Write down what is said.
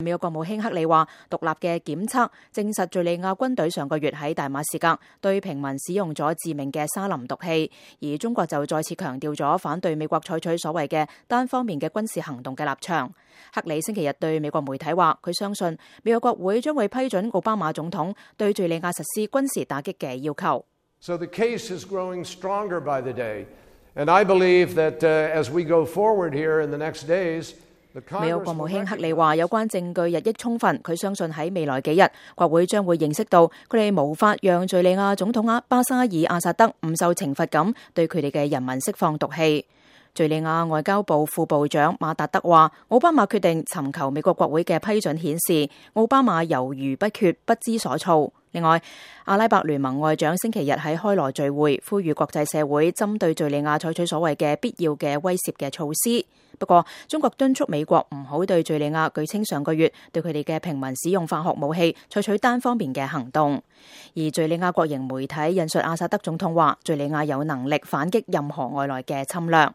美國國務卿克里話，獨立嘅檢測證實敘利亞軍隊上個月喺大馬士革對平民使用咗致命嘅沙林毒氣，而中國就再次強調咗反對美國採取所謂嘅單方面嘅軍事行動嘅立場。克里星期日對美國媒體話，佢相信美國國會將會批准奧巴馬總統對敘利亞實施軍事打擊嘅要求。So the case is growing stronger by the day, and I believe that as we go forward here in the next days,美國國務卿克里話，有關證據日益充分，佢相信喺未來幾日，國會將會認識到佢哋無法讓敘利亞總統巴沙爾阿薩德唔受懲罰咁對佢哋嘅人民釋放毒氣。敘利亞外交部副部長馬達德話，奧巴馬決定尋求美國國會嘅批准，顯示奧巴馬猶豫不決、不知所措。另外，阿拉伯聯盟外長星期日喺開羅聚會，呼籲國際社會針對敘利亞採取所謂嘅必要嘅威懾嘅措施。不過，中國敦促美國唔好對敘利亞據稱上個月對佢哋嘅平民使用化學武器採取單方面嘅行動。而敘利亞國營媒體引述阿薩德總統話，敘利亞有能力反擊任何外來嘅侵略。